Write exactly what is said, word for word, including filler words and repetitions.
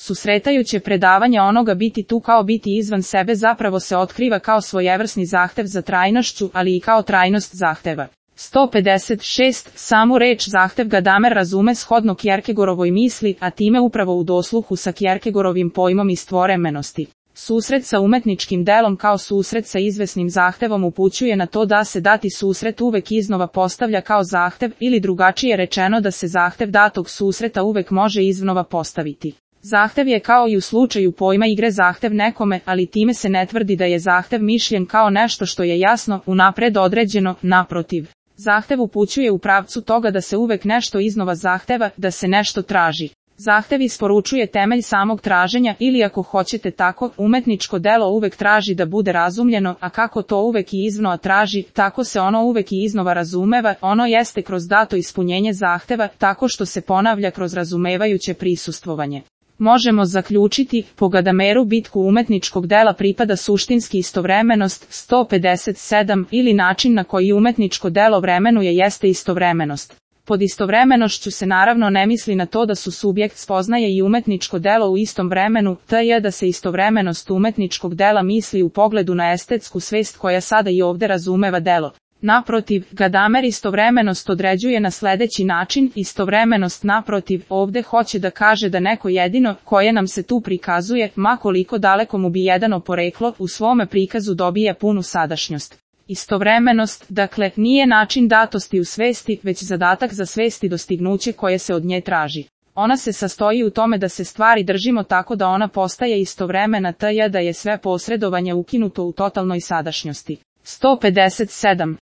Susretajuće predavanje onoga biti tu kao biti izvan sebe zapravo se otkriva kao svojevrsni zahtev za trajnošću, ali i kao trajnost zahteva. sto pedeset šest. Samu reč zahtev Gadamer razume shodno Kjerkegorovoj misli, a time upravo u dosluhu sa Kjerkegorovim pojmom istovremenosti. Susret sa umetničkim delom kao susret sa izvesnim zahtevom upućuje na to da se dati susret uvek iznova postavlja kao zahtev, ili drugačije rečeno da se zahtev datog susreta uvek može iznova postaviti. Zahtev je kao i u slučaju pojma igre zahtev nekome, ali time se ne tvrdi da je zahtev mišljen kao nešto što je jasno, unapred određeno, naprotiv. Zahtev upućuje u pravcu toga da se uvek nešto iznova zahteva, da se nešto traži. Zahtev isporučuje temelj samog traženja ili ako hoćete tako, umetničko delo uvek traži da bude razumljeno, a kako to uvek i iznova traži, tako se ono uvek i iznova razumeva, ono jeste kroz dato ispunjenje zahteva, tako što se ponavlja kroz razumevajuće prisustvovanje. Možemo zaključiti, po Gadameru bitku umetničkog dela pripada suštinski istovremenost, sto pedeset sedam, ili način na koji umetničko delo vremenuje jeste istovremenost. Pod istovremenošću se naravno ne misli na to da su subjekt spoznaje i umetničko delo u istom vremenu, tj. da se istovremenost umetničkog dela misli u pogledu na estetsku svest koja sada i ovde razumeva delo. Naprotiv, Gadamer istovremenost određuje na sledeći način, istovremenost naprotiv, ovde hoće da kaže da neko jedino, koje nam se tu prikazuje, ma koliko daleko mu bi jedano poreklo, u svome prikazu dobija punu sadašnjost. Istovremenost, dakle, nije način datosti u svesti, već zadatak za svest i dostignuće koje se od nje traži. Ona se sastoji u tome da se stvari držimo tako da ona postaje istovremena, tj. da je sve posredovanje ukinuto u totalnoj sadašnjosti. sto pedeset sedam.